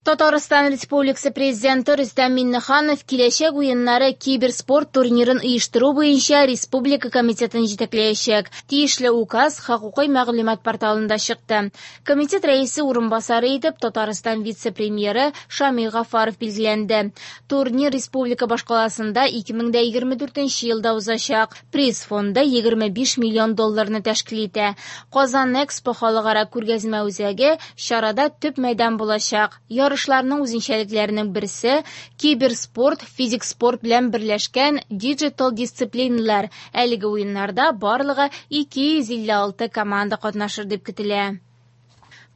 Татарстан Республикасы Президенты Рөстәм Миңнеханов Киләчәк уеннары киберспорт турнирын оештыру буенча республика комитетын җитәкләячәк. Тиешле указ хокукый мәгълүмат порталында чыкты. Комитет рәисе урынбасары итеп Татарстан вице-премьеры Шамил Гафаров билгеләнде. Турнир республика башкаласында 2024 елда узачак. Приз фонды 25 миллион долларны тәшкил итә. Казан Экспо халыкара күргәзмә үзәге чарада төп мәйдан булачак. Ярышларның үзенчәлекләренең берсе киберспорт, физик спорт белән берләшкән диджитал дисциплиналар. Әлеге уеннарда барлыгы 256 команда катнашыр дип көтелә.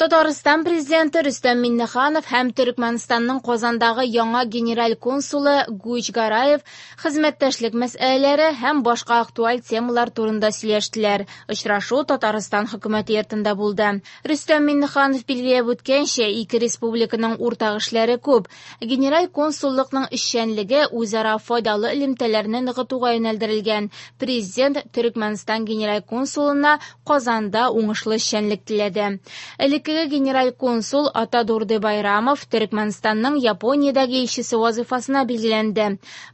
Татарстан президенты Рөстәм Миңнеханов һәм Төрекмәнстанның Казандагы яңа генераль консулы Гуч Гараев хезмәттәшлек мәсьәләләре һәм башка актуаль темалар турында сөйләштеләр. Очрашу Татарстан хөкүмәте йортында булды. Рөстәм Миңнеханов билгеләп үткәнчә, ике республиканың уртак эшләре күп. Генераль консуллыкның эшчәнлеге үзара файдалы элемтәләрне ныгытуга юнәлдерелгән. Президент Төрекмәнстан генераль консулына Казанда уңышлы эшчәнлек теләде. Элеккеге генераль консул Атадурды Байрамов Төрекмәнстанның Япониядәге илчесе вазыйфасына билгеләнде.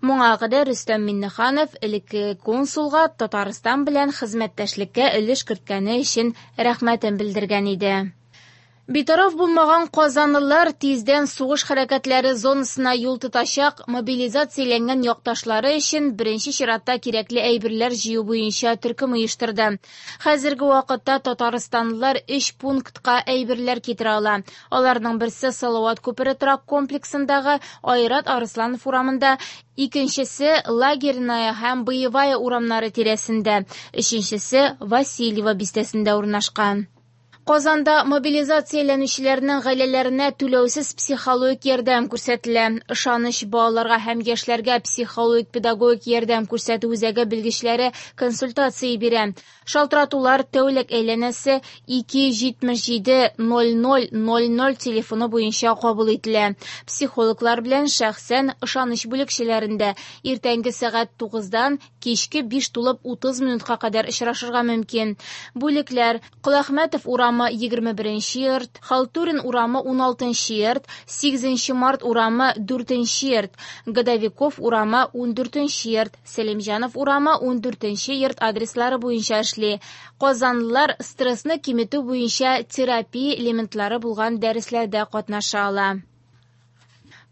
Моңа кадәр Рөстәм Миңнеханов элеккеге консулга Татарстан белән хезмәттәшлеккә өлеш керткәне өчен рәхмәтен белдергән иде. Битараф булмаган казанлылар тиздән сугыш хәрәкәтләре зонасына юл тотачак мобилизацияләнгән якташлары өчен беренче чиратта кирәкле әйберләр җыю буенча төркем оештырды. Хәзерге вакытта татарстанлылар өч пунктка әйберләр китерә ала. Аларның берсе Салават күпере торак комплексындагы Айрат Арысланов урамында, икенчесе Лагерная һәм Боевая урамнары тирәсендә, өченчесе Васильево бистәсендә урнашкан. Казанда мобилизацияләнүчеләрнең гаиләләренә түләүсез психологик ярдәм күрсәтелә. Ышаныч балаларга һәм яшьләргә психологик-педагогик ярдәм күрсәтү үзәге белгечләре консультация бирә. Шалтыратулар тәүлек әйләнәсе 277 00 00 телефоны буенча кабул ителә. Психологлар белән шәхсән ышаныч бүлекчәләрендә иртәнге сәгать 9-дан кичке 5 тулып 30 минутка кадәр очрашырга мөмкин. Бүлекләр Коләхмәтов урамы 21 йорт, Халтурин урамы 16 йорт, 8 март урамы 4 йорт, Годовиков урамы 14 йорт, Сәлимҗанов урамы 14 йорт адреслары буенча эшли. Казанлылар стрессны киметү буенча терапия элементлары булган дәресләрдә катнаша ала.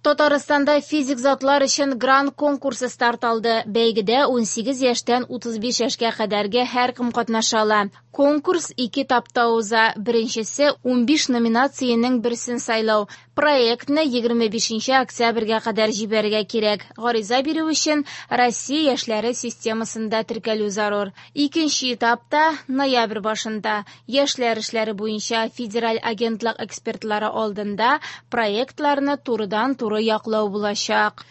Татарстанда физик затлар өчен грант конкурсы старт алды. Бәйгедә 18 яшьтән 35 яшькә кадәрге һәркем катнаша ала. Конкурс ике этапта уза. Беренчесе 15 номинациянең берсен сайлау. Проектны 25 октябрьгә кадәр җибәрергә кирәк. Гариза бирү өчен Россия яшьләре системасында теркәлү зарур. Икенче этапта ноябрь башында яшьләр эшләре буенча федераль агентлык экспертлары алдында проектларны турыдан-туры яклау булачак.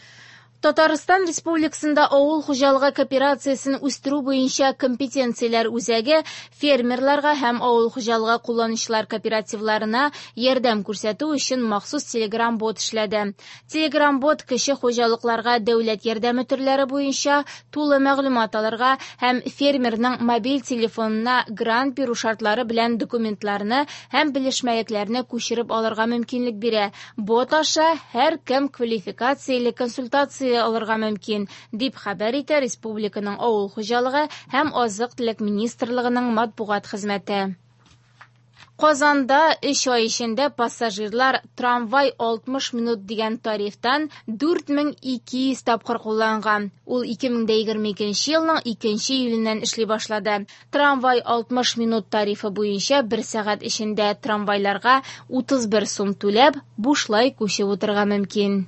Татарстан Республикасында авыл хуҗалыгы кооперациясен үстерү буенча компетенцияләр үзәге фермерларга һәм авыл хуҗалыгы кулланучылар кооперативларына ярдәм күрсәтү өчен махсус Telegram-бот эшләде. Telegram-бот кече хуҗалыкларга дәүләт ярдәме төрләре буенча тулы мәгълүмат алырга һәм фермерның мобиль телефонына грант бирү шартлары белән документларны һәм белешмәлекләрне күчереп алырга мөмкинлек бирә. Бот аша һәркем квалификацияле консультация алырга мөмкин, дип хәбәр итә республиканың авыл хуҗалыгы һәм азык-төлек министрлыгының матбугат хезмәте. Казанда 3 ай эчендә пассажирлар трамвай 60 минут дигән тарифтан 4200 тапкыр кулланган. Ул 2022 елның 2 июленнән эшли башлады. Трамвай 60 минут тарифы буенча 1 сәгать эчендә трамвайларга 31 сум түләп, бушлай күчеп утырырга мөмкин.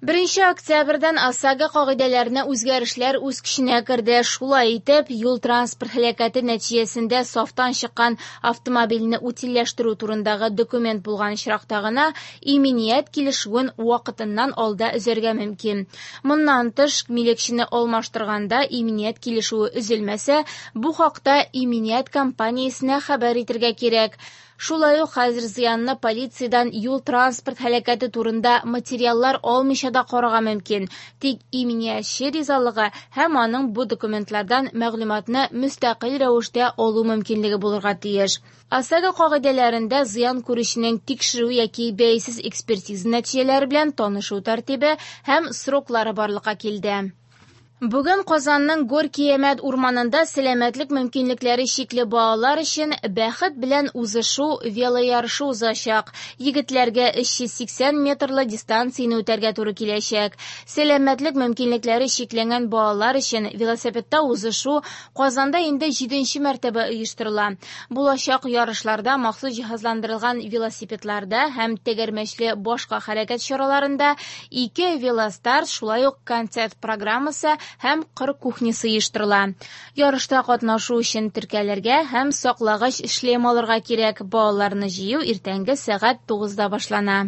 1 октябрьдән ОСАГО кагыйдәләренә үзгәрешләр үз көченә керде. Шулай итеп, юл-транспорт һәлакәте нәтиҗәсендә сафтан чыккан автомобильне утильләштерү турындагы документ булган очракта гына иминият килешүен вакытыннан алда өзәргә мөмкин. Моннан тыш, милекчене алмаштырганда иминият килешүе өзелмәсә, бу хакта иминият компаниясенә хәбәр итәргә кирәк. Шулай ук хәзер зыянны полициядән юл-транспорт һәлакәте турында материаллар алмыйча да карарга мөмкин, тик иминиятче ризалыгы һәм аның бу документлардан мәгълүматны мөстәкыйль рәвештә алу мөмкинлеге булырга тиеш. ОСАГО кагыйдәләрендә зыян күрүченең тикшерү яки бәйсез экспертиза нәтиҗәләре белән танышу тәртибе һәм сроклары барлыкка килде. Бүген Казанның Горки-Әмәт урманында сәламәтлек мөмкинлекләре чикле балалар өчен Бәхет белән узышу велоярышы узачак. Егетләргә 380 метрлы дистанцияне үтәргә туры киләчәк. Сәламәтлек мөмкинлекләре чикләнгән балалар өчен велосипедта узышу Казанда инде җиденче мәртәбә оештырыла. Булачак ярышларда махсус җиһазландырылган велосипедларда һәм тәгәрмәчле башка хәрәкәт чараларында ике велостарт, шулай ук концерт программасы һәм кыр кухнясы оештырыла. Ярышта катнашу өчен теркәлергә һәм саклагыч шлем алырга кирәк. Балаларны җыю иртәнге сәгать 9-да башлана.